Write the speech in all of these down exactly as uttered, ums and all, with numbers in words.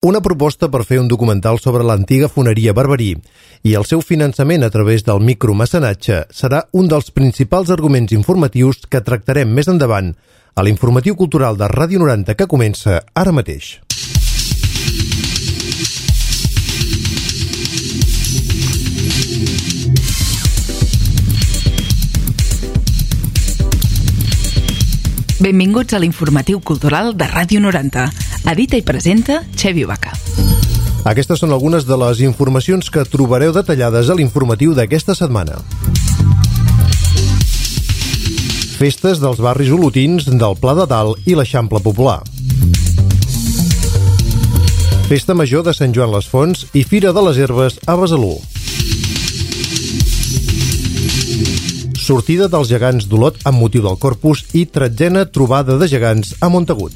Una proposta per fer un documental sobre l'antiga foneria Barberí i el seu finançament a través del micromecenatge serà un dels principals arguments informatius que tractarem més endavant a l'informatiu cultural de Ràdio noranta que comença ara mateix. Benvinguts a l'informatiu cultural de Ràdio noranta. Edita i presenta Xevi Vaca. Aquestes són algunes de les informacions que trobareu detallades a l'informatiu d'aquesta setmana. Festes dels barris olotins del Pla de Dalt i l'Eixample Popular. Festa Major de Sant Joan les Fonts i Fira de les Herbes a Besalú. Sortida dels gegants d'Olot amb motiu del Corpus i tretzena trobada de gegants a Montagut.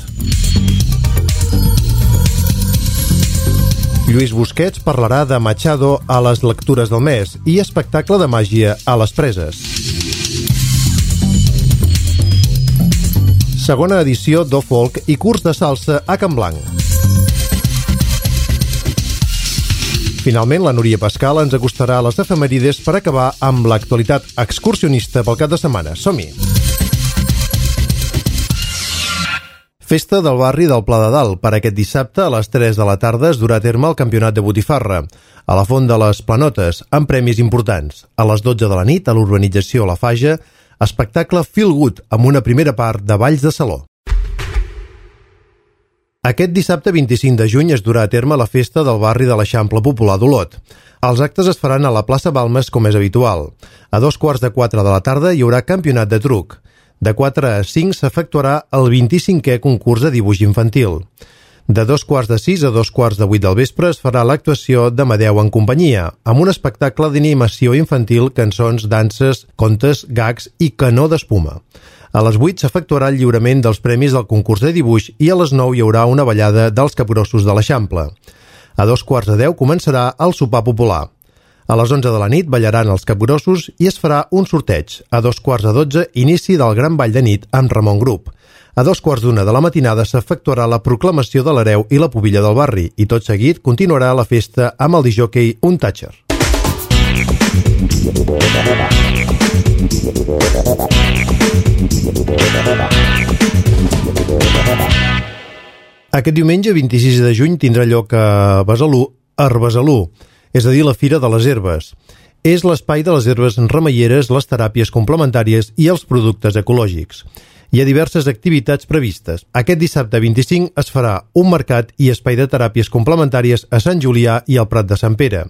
Lluís Busquets parlarà de Machado a les lectures del mes i espectacle de màgia a les Preses. Segona edició d'O-Folk i curs de salsa a Can Blanc. Finalment, la Núria Pascal ens acostarà a les efemèrides per acabar amb l'actualitat excursionista pel cap de setmana. Som-hi! Festa del barri del Pla de Dalt. Per aquest dissabte, a les tres de la tarda, es durà a terme el campionat de botifarra a la Font de les Planotes, amb premis importants. A les dotze de la nit, a l'urbanització La Faja, espectacle Feel Good, amb una primera part de balls de saló. Aquest dissabte vint-i-cinc de juny es durà a terme la festa del barri de l'Eixample Popular d'Olot. Els actes es faran a la plaça Balmes com és habitual. A dos quarts de quatre de la tarda hi haurà campionat de truc. De quatre a cinc s'efectuarà el vint-i-cinquè concurs de dibuix infantil. De dos quarts de sis a dos quarts de vuit del vespre es farà l'actuació d'Amadeu en companyia, amb un espectacle d'animació infantil, cançons, danses, contes, gags i canó d'espuma. A les vuit s'efectuarà el lliurament dels premis del concurs de dibuix i a les nou hi haurà una ballada dels capgrossos de l'Eixample. A dos quarts de deu començarà el sopar popular. A les onze de la nit ballaran els capgrossos i es farà un sorteig. A dos quarts de dotze, inici del gran ball de nit amb Ramon Grup. A dos quarts d'una de la matinada s'efectuarà la proclamació de l'hereu i la pubilla del barri i tot seguit continuarà la festa amb el disjòquei Un Tatxer. Aquest diumenge vint-i-sis de juny tindrà lloc a Besalú, Herbesalú, és a dir, la Fira de les Herbes. És l'espai de les herbes remeieres, les teràpies complementàries i els productes ecològics. Hi ha diverses activitats previstes. Aquest dissabte vint-i-cinc es farà un mercat i espai de teràpies complementàries a Sant Julià i al Prat de Sant Pere.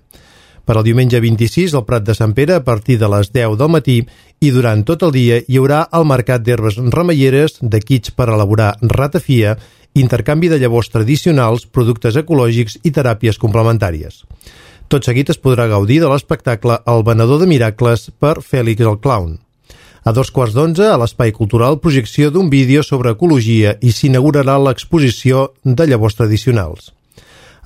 Per al diumenge vint-i-sis, al Prat de Sant Pere, a partir de les deu del matí i durant tot el dia hi haurà el mercat d'herbes remeieres, de kits per elaborar ratafia, intercanvi de llavors tradicionals, productes ecològics i teràpies complementàries. Tot seguit es podrà gaudir de l'espectacle El venedor de miracles per Fèlix el Clown. A dos quarts d'onze, a l'Espai Cultural, projecció d'un vídeo sobre ecologia i s'inaugurarà l'exposició de llavors tradicionals.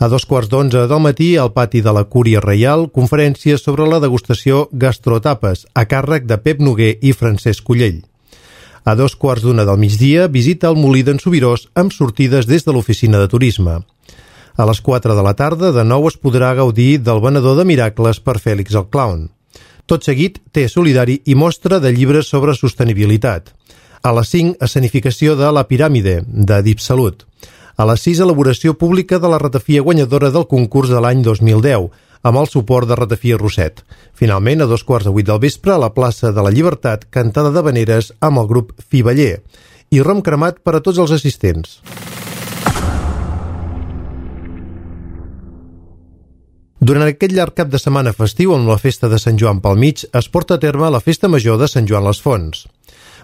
A dos quarts d'onze del matí, al pati de la Cúria Reial, conferència sobre la degustació Gastrotapes, a càrrec de Pep Noguer i Francesc Collell. A dos quarts d'una del migdia, visita al Molí d'en Subirós amb sortides des de l'oficina de turisme. A les quatre de la tarda, de nou es podrà gaudir del venedor de miracles per Fèlix el Clown. Tot seguit, té solidari i mostra de llibres sobre sostenibilitat. A les cinc, escenificació de La Piràmide, de DeepSalut. A les sis, elaboració pública de la ratafia guanyadora del concurs de l'any dos mil deu, amb el suport de Ratafia Roset. Finalment, a dos quarts de vuit del vespre, a la plaça de la Llibertat, cantada d'habaneres amb el grup Fiballer i rom cremat per a tots els assistents. Durant aquest llarg cap de setmana festiu, amb la festa de Sant Joan pel mig, es porta a terme la Festa Major de Sant Joan les Fonts.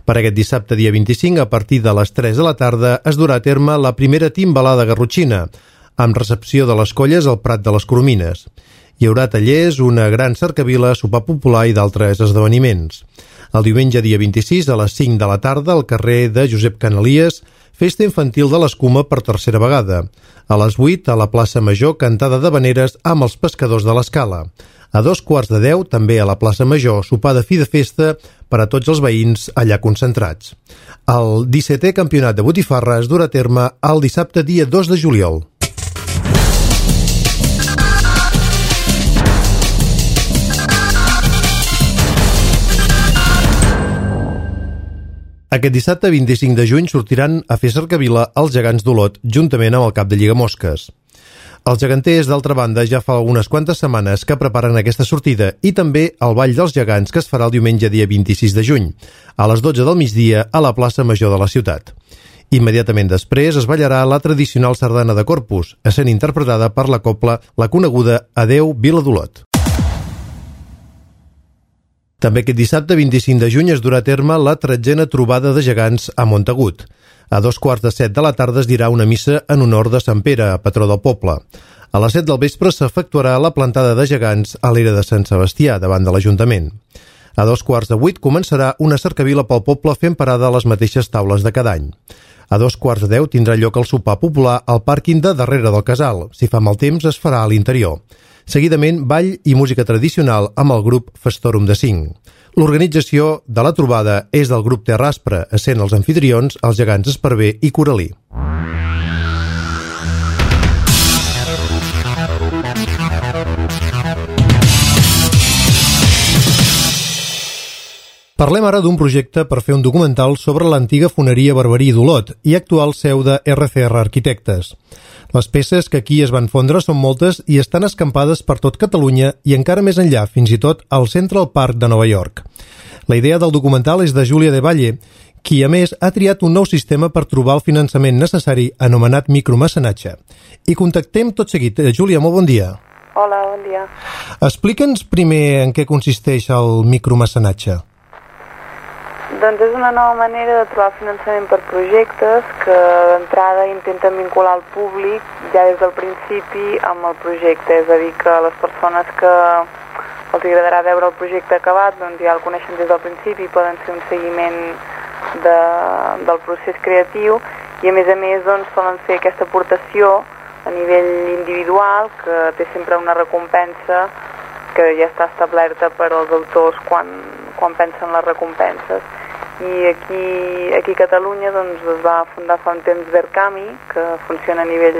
Per aquest dissabte, dia vint-i-cinc, a partir de les tres de la tarda, es durà a terme la primera timbalada garrotxina, amb recepció de les colles al Prat de les Coromines. Hi haurà tallers, una gran cercavila, sopar popular i d'altres esdeveniments. El diumenge, dia vint-i-sis, a les cinc de la tarda, al carrer de Josep Canalies, festa infantil de l'escuma per tercera vegada. A les vuit, a la plaça Major, cantada d'habaneres amb els pescadors de l'Escala. A dos quarts de deu, també a la plaça Major, sopar de fi de festa per a tots els veïns allà concentrats. El dissetè campionat de botifarra es durà a terme el dissabte dia dos de juliol. Aquest dissabte vint-i-cinc de juny sortiran a fer cercavila els gegants d'Olot juntament amb el cap de Lligamosques. Els geganters, d'altra banda, ja fa unes quantes setmanes que preparen aquesta sortida i també el Ball dels Gegants, que es farà el diumenge dia vint-i-sis de juny, a les dotze del migdia a la plaça Major de la ciutat. Immediatament després es ballarà la tradicional sardana de Corpus, essent interpretada per la cobla la coneguda Adeu Vila d'Olot. També aquest dissabte vint-i-cinc de juny es durà a terme la tretzena trobada de gegants a Montagut. A dos quarts de set de la tarda es dirà una missa en honor de Sant Pere, patró del poble. A les set del vespre s'efectuarà la plantada de gegants a l'era de Sant Sebastià, davant de l'Ajuntament. A dos quarts de vuit començarà una cercavila pel poble fent parada a les mateixes taules de cada any. A dos quarts de deu tindrà lloc el sopar popular al pàrquing de darrere del casal. Si fa mal temps es farà a l'interior. Seguidament, ball i música tradicional amb el grup Festorum de Cinc. L'organització de la trobada és del grup Terraspre, essent els anfitrions els gegants Esparver i Coralí. Parlem ara d'un projecte per fer un documental sobre l'antiga foneria Barberí d'Olot i actual seu de erre ce erre Arquitectes. Les peces que aquí es van fondre són moltes i estan escampades per tot Catalunya i encara més enllà, fins i tot al Central Park de Nova York. La idea del documental és de Júlia de Valle, qui a més ha triat un nou sistema per trobar el finançament necessari anomenat micromecenatge. I contactem tot seguit. Júlia, molt bon dia. Hola, bon dia. Explica'ns primer en què consisteix el micromecenatge. Doncs és una nova manera de trobar finançament per projectes que d'entrada intenten vincular el públic ja des del principi amb el projecte, és a dir, que les persones que els agradarà veure el projecte acabat doncs ja el coneixen des del principi, poden fer un seguiment de, del procés creatiu i a més a més doncs solen fer aquesta aportació a nivell individual que té sempre una recompensa que ja està establerta per als autors quan, quan pensen les recompenses. I aquí, aquí a Catalunya doncs, es va fundar fa un temps Verkami, que funciona a nivell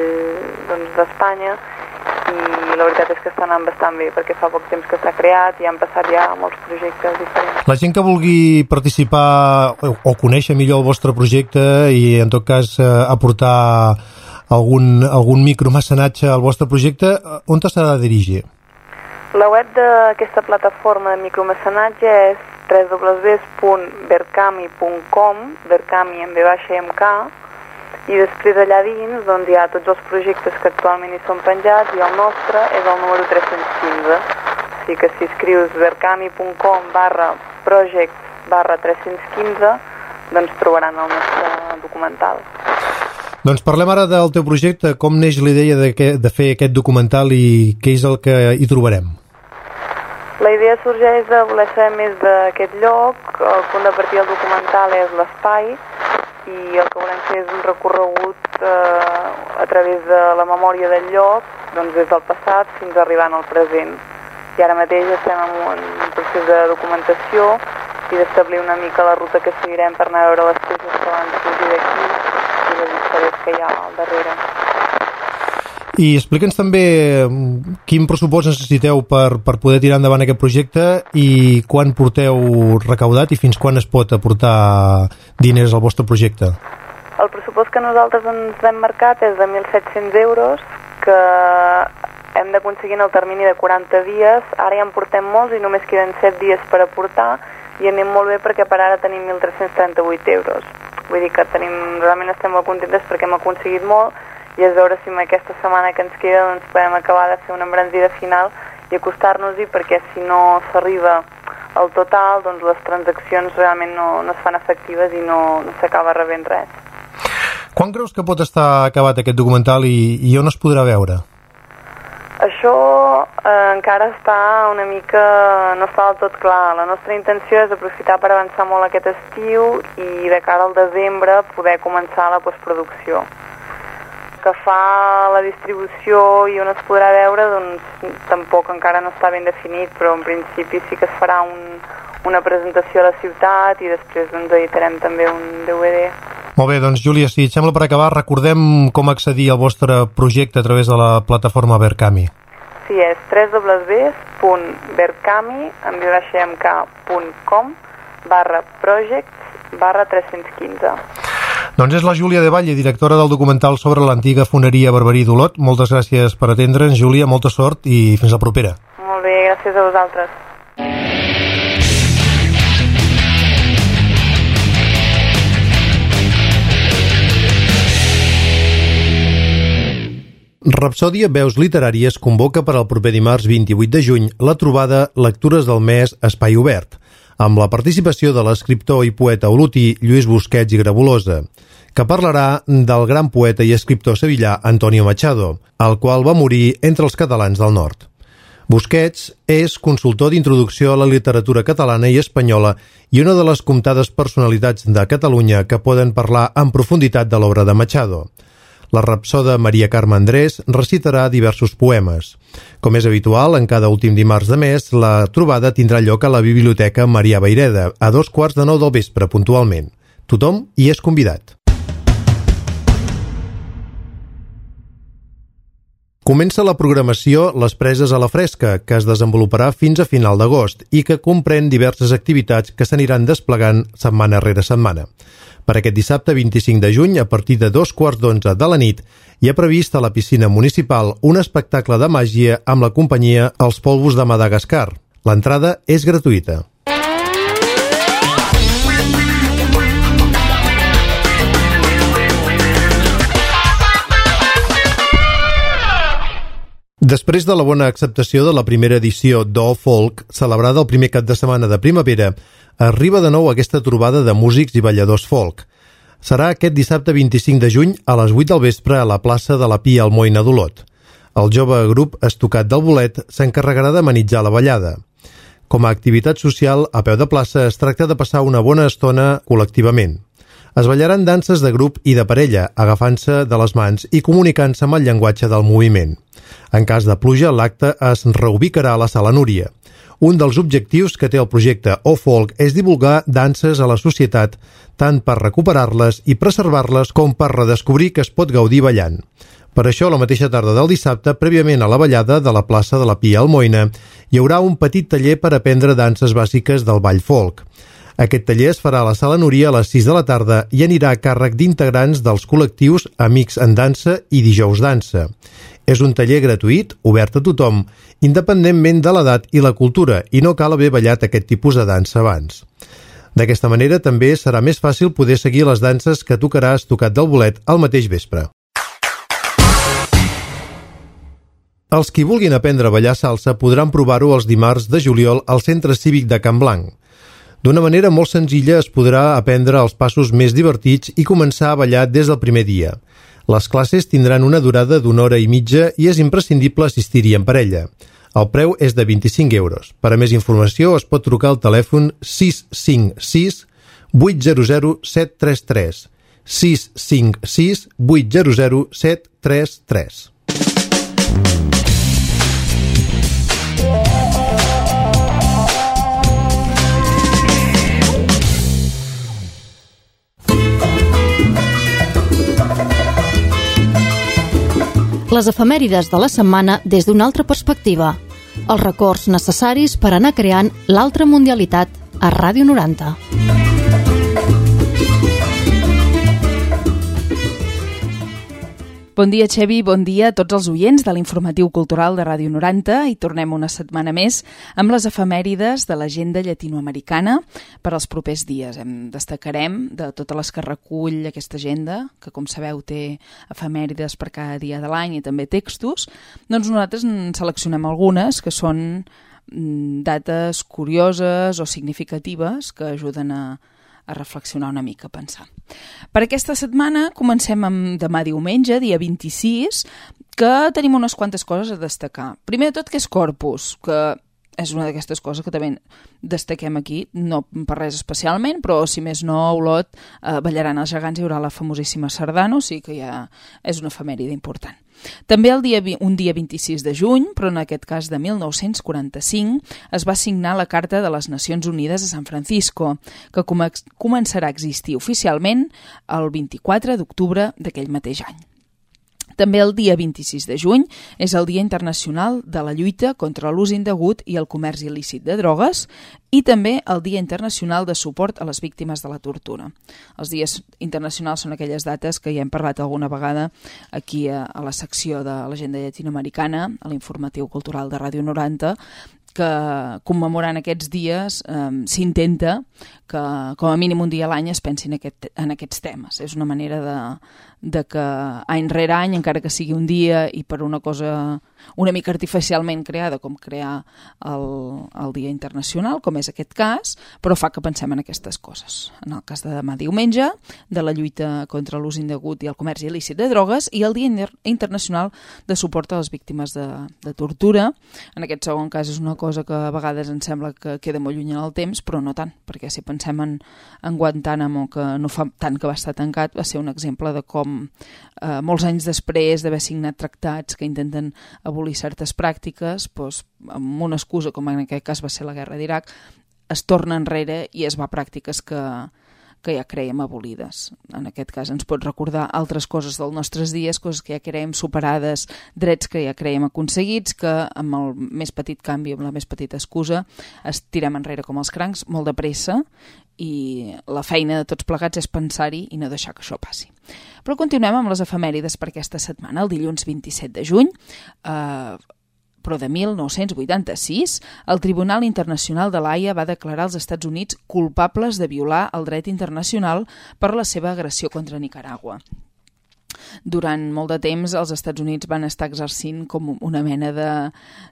doncs, d'Espanya, i la veritat és que està anant bastant bé, perquè fa poc temps que s'ha creat i han passat ja molts projectes diferents. La gent que vulgui participar o conèixer millor el vostre projecte i en tot cas aportar algun, algun micromecenatge al vostre projecte, on s'ha de dirigir? La web d'aquesta plataforma de micromecenatge és w w w punt verkami punt com, Verkami amb ve baixa i amb K, i després allà dins doncs, hi ha tots els projectes que actualment hi són penjats i el nostre és el número tres-cents quinze. O sigui que si escrius verkami punt com barra projects barra tres-cents quinze doncs trobaran el nostre documental. Doncs parlem ara del teu projecte, com neix la idea de, que, de fer aquest documental i què és el que hi trobarem? La idea sorgeix de voler saber més d'aquest lloc, el punt de partida del documental és l'espai i el que volem fer és un recorregut eh, a través de la memòria del lloc, doncs des del passat fins arribant al present. I ara mateix estem en un procés de documentació i d'establir una mica la ruta que seguirem per anar a veure les peces que van sorgir d'aquí i les històries que hi ha al darrere. I explica'ns també quin pressupost necessiteu per, per poder tirar endavant aquest projecte i quan porteu recaudat i fins quan es pot aportar diners al vostre projecte. El pressupost que nosaltres ens hem marcat és de mil set-cents euros, que hem d'aconseguir en el termini de quaranta dies. Ara ja en portem molts i només queden set dies per aportar i anem molt bé perquè per ara tenim mil tres-cents trenta-vuit euros. Vull dir que tenim, realment estem molt contentes perquè hem aconseguit molt i és veure si amb aquesta setmana que ens queda doncs podem acabar de fer una embranzida final i acostar-nos-hi, perquè si no s'arriba al total doncs les transaccions realment no, no es fan efectives i no, no s'acaba rebent res. Quan creus que pot estar acabat aquest documental i, i on es podrà veure? Això eh, encara està una mica, no està del tot clar. La nostra intenció és aprofitar per avançar molt aquest estiu i de cara al desembre poder començar la postproducció. Que fa la distribució i on es podrà veure, doncs tampoc encara no està ben definit, però en principi sí que es farà un, una presentació a la ciutat i després doncs editarem també un D V D. Molt bé, doncs Júlia, si et sembla per acabar, recordem com accedir al vostre projecte a través de la plataforma Verkami. Sí, és w w w punt verkami punt com barra projects barra tres-cents quinze. Doncs és la Júlia de Valle, directora del documental sobre l'antiga foneria Barberí d'Olot. Moltes gràcies per atendre'ns, Júlia, molta sort i fins la propera. Molt bé, gràcies a vosaltres. Rapsòdia Veus Literàries convoca per al proper dimarts vint-i-vuit de juny la trobada Lectures del Mes Espai Obert, amb la participació de l'escriptor i poeta olotí Lluís Busquets i Grabulosa, que parlarà del gran poeta i escriptor sevillà Antonio Machado, el qual va morir entre els catalans del nord. Busquets és consultor d'introducció a la literatura catalana i espanyola i una de les comptades personalitats de Catalunya que poden parlar en profunditat de l'obra de Machado. La rapsoda Maria Carme Andrés recitarà diversos poemes. Com és habitual, en cada últim dimarts de mes, la trobada tindrà lloc a la Biblioteca Marià Vayreda, a dos quarts de nou del vespre, puntualment. Tothom hi és convidat. Comença la programació Les Preses a la Fresca, que es desenvoluparà fins a final d'agost i que comprèn diverses activitats que s'aniran desplegant setmana rere setmana. Per aquest dissabte vint-i-cinc de juny, a partir de dos quarts d'onze de la nit, hi ha previst a la piscina municipal un espectacle de màgia amb la companyia Els Polvos de Madagascar. L'entrada és gratuïta. Després de la bona acceptació de la primera edició d'O Folk, celebrada el primer cap de setmana de primavera, arriba de nou aquesta trobada de músics i balladors folk. Serà aquest dissabte vint-i-cinc de juny a les vuit del vespre a la plaça de la Pia Almoina d'Olot. El jove grup Estocat del Bolet s'encarregarà d'amenitzar la ballada. Com a activitat social, a peu de plaça es tracta de passar una bona estona col·lectivament. Es ballaran danses de grup i de parella, agafant-se de les mans i comunicant-se amb el llenguatge del moviment. En cas de pluja, l'acte es reubicarà a la Sala Núria. Un dels objectius que té el projecte O Folk és divulgar danses a la societat, tant per recuperar-les i preservar-les com per redescobrir que es pot gaudir ballant. Per això, la mateixa tarda del dissabte, prèviament a la ballada de la plaça de la Pia Almoina, hi haurà un petit taller per aprendre danses bàsiques del ball folk. Aquest taller es farà a la Sala Núria a les sis de la tarda i anirà a càrrec d'integrants dels col·lectius Amics en Dansa i Dijous Dansa. És un taller gratuït, obert a tothom, independentment de l'edat i la cultura, i no cal haver ballat aquest tipus de dansa abans. D'aquesta manera també serà més fàcil poder seguir les danses que tocarà Estocat del Bolet al mateix vespre. Els qui vulguin aprendre a ballar salsa podran provar-ho els dimarts de juliol al Centre Cívic de Can Blanc. D'una manera molt senzilla es podrà aprendre els passos més divertits i començar a ballar des del primer dia. Les classes tindran una durada d'una hora i mitja i és imprescindible assistir-hi en parella. El preu és de vint-i-cinc euros. Per a més informació es pot trucar al telèfon sis cinc sis vuit zero zero set tres tres. sis cinc sis vuit zero zero set tres tres. Les efemèrides de la setmana des d'una altra perspectiva. Els records necessaris per anar creant l'altra mundialitat a Ràdio noranta. Bon dia, Xevi, bon dia a tots els oients de l'informatiu cultural de Ràdio noranta i tornem una setmana més amb les efemèrides de l'agenda llatinoamericana per als propers dies. En destacarem de totes les que recull aquesta agenda, que com sabeu té efemèrides per cada dia de l'any i també textos, doncs nosaltres en seleccionem algunes que són dates curioses o significatives que ajuden a a reflexionar una mica, a pensar. Per aquesta setmana comencem amb demà diumenge, dia vint-i-sis, que tenim unes quantes coses a destacar. Primer de tot, que és Corpus, que és una d'aquestes coses que també destaquem aquí, no per res especialment, però si més no, a Olot eh, ballaran els gegants, hi haurà la famosíssima sardana, o sigui que ja és una efemèride important. També el dia, un dia vint-i-sis de juny, però en aquest cas de mil nou-cents quaranta-cinc, es va signar la Carta de les Nacions Unides de San Francisco, que començarà a existir oficialment el vint-i-quatre d'octubre d'aquell mateix any. També el dia vint-i-sis de juny és el Dia Internacional de la lluita contra l'ús indegut i el comerç il·lícit de drogues i també el Dia Internacional de suport a les víctimes de la tortura. Els dies internacionals són aquelles dates que ja hem parlat alguna vegada aquí a, a la secció de l'Agenda Llatinoamericana, a l'informatiu cultural de Ràdio noranta, que commemorant aquests dies eh, s'intenta que com a mínim un dia a l'any es pensin aquest, en aquests temes. És una manera de, de que any rere any, encara que sigui un dia i per una cosa una mica artificialment creada, com crear el, el Dia Internacional, com és aquest cas, però fa que pensem en aquestes coses. En el cas de demà diumenge, de la lluita contra l'ús indegut i el comerç il·lícit de drogues, i el Dia Internacional de suport a les víctimes de, de tortura. En aquest segon cas és una cosa que a vegades ens sembla que queda molt lluny en el temps, però no tant, perquè si pensem en, en Guantánamo, que no fa tant que va estar tancat, va ser un exemple de com eh, molts anys després d'haver signat tractats que intenten abolir certes pràctiques, doncs, amb una excusa, com en aquest cas va ser la guerra d'Iraq, es torna enrere i es va a pràctiques que, que ja creiem abolides. En aquest cas ens pot recordar altres coses dels nostres dies, coses que ja creiem superades, drets que ja creiem aconseguits, que amb el més petit canvi, amb la més petita excusa, es tirem enrere com els crancs, molt de pressa, i la feina de tots plegats és pensar-hi i no deixar que això passi. Però continuem amb les efemèrides per aquesta setmana. El dilluns vint-i-set de juny, eh, però de mil nou-cents vuitanta-sis, el Tribunal Internacional de l'Haia va declarar els Estats Units culpables de violar el dret internacional per la seva agressió contra Nicaragua. Durant molt de temps els Estats Units van estar exercint com una mena de,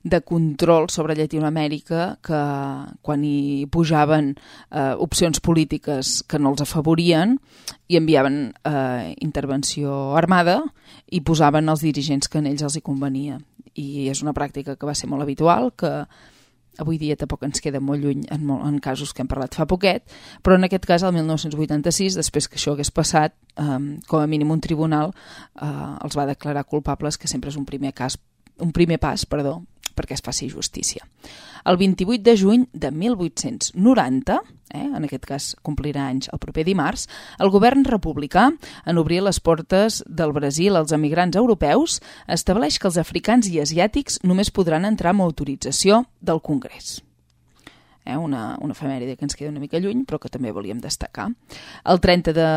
de control sobre Llatinoamèrica, que quan hi pujaven eh, opcions polítiques que no els afavorien i enviaven eh, intervenció armada i posaven els dirigents que en ells els hi convenia. I és una pràctica que va ser molt habitual, que avui dia tampoc ens queda molt lluny en, molt, en casos que hem parlat fa poquet, però en aquest cas, el mil nou-cents vuitanta-sis, després que això hagués passat, eh, com a mínim un tribunal eh, els va declarar culpables, que sempre és un primer, cas, un primer pas perdó, perquè es faci justícia. El vint-i-vuit de juny de mil vuit-cents noranta, eh, en aquest cas complirà anys el proper dimarts, el govern republicà, en obrir les portes del Brasil als emigrants europeus, estableix que els africans i asiàtics només podran entrar amb autorització del Congrés. Eh, una, una efemèride que ens queda una mica lluny, però que també volíem destacar. El trenta de,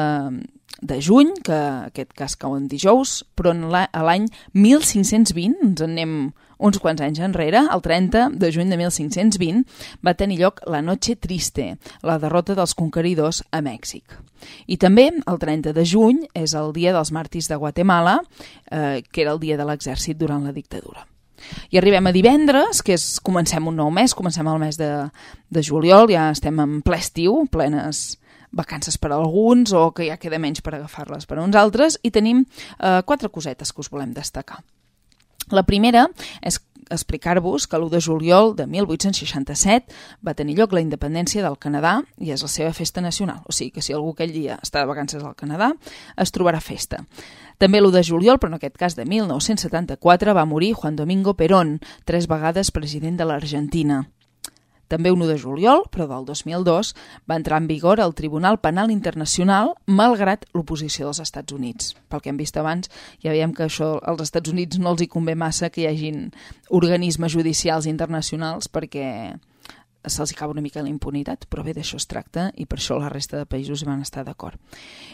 de juny, que aquest cas cau en dijous, però en la, a l'any mil cinc-cents vint, ens en anem uns quants anys enrere, el trenta de juny de mil cinc-cents vint, va tenir lloc la Noche Triste, la derrota dels conqueridors a Mèxic. I també el trenta de juny és el dia dels màrtirs de Guatemala, eh, que era el dia de l'exèrcit durant la dictadura. I arribem a divendres, que és, comencem un nou mes, comencem el mes de, de juliol, ja estem en ple estiu, plenes vacances per a alguns, o que ja queda menys per agafar-les per a uns altres, i tenim eh, quatre cosetes que us volem destacar. La primera és explicar-vos que l'u de juliol de mil vuit-cents seixanta-set va tenir lloc la independència del Canadà i és la seva festa nacional. O sigui que si algú aquell dia està de vacances al Canadà, es trobarà festa. També l'u de juliol, però en aquest cas de mil nou-cents setanta-quatre, va morir Juan Domingo Perón, tres vegades president de l'Argentina. També un u de juliol, però del dos mil dos, va entrar en vigor el Tribunal Penal Internacional malgrat l'oposició dels Estats Units. Pel que hem vist abans, ja veiem que això als Estats Units no els hi convé massa que hi hagin organismes judicials internacionals perquè se'ls acaba una mica la impunitat, però bé, d'això es tracta i per això la resta de països van estar d'acord.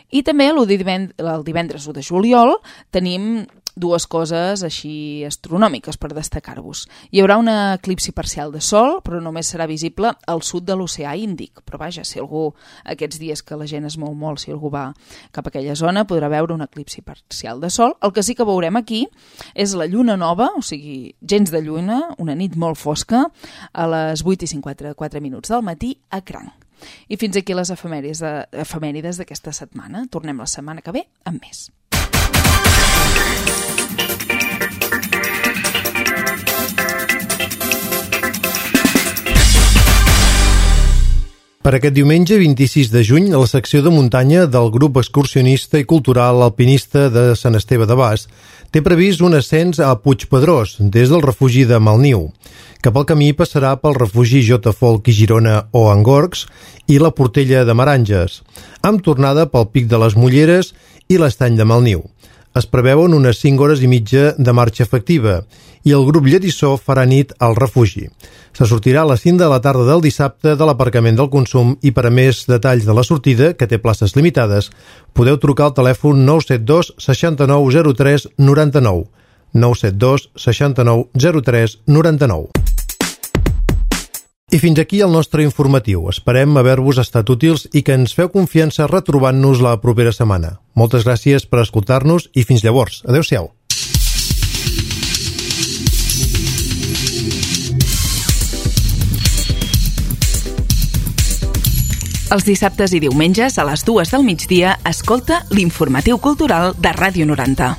I també el divendres u de juliol tenim dues coses així astronòmiques per destacar-vos. Hi haurà un eclipsi parcial de sol, però només serà visible al sud de l'oceà Índic. Però vaja, si algú, aquests dies que la gent es mou molt, si algú va cap a aquella zona, podrà veure un eclipsi parcial de sol. El que sí que veurem aquí és la lluna nova, o sigui, gens de lluna, una nit molt fosca, a les vuit i cinquanta-quatre minuts del matí a Cranc. I fins aquí les efemèrides, de, efemèrides d'aquesta setmana. Tornem la setmana que ve amb més. Per aquest diumenge, vint-i-sis de juny, a la secció de muntanya del grup excursionista i cultural alpinista de Sant Esteve de Bas, té previst un ascens a Puigpedrós, des del refugi de Malniu, que pel camí passarà pel refugi J. Folk i Girona o Angorgs i la Portella de Maranges, amb tornada pel Pic de les Mulleres i l'Estany de Malniu. es preveuen unes cinc hores i mitja de marxa efectiva i el grup Lletissó farà nit al refugi. Se sortirà a les cinc de la tarda del dissabte de l'aparcament del Consum i per a més detalls de la sortida, que té places limitades, podeu trucar al telèfon nou set dos seixanta-nou zero tres noranta-nou. nou set dos seixanta-nou zero tres noranta-nou. I fins aquí el nostre informatiu. Esperem haver-vos estat útils i que ens feu confiança retrobant-nos la propera setmana. Moltes gràcies per escoltar-nos i fins llavors. Adéu-siau. Els dissabtes i diumenges a les dues del migdia escolta l'Informatiu Cultural de Ràdio noranta.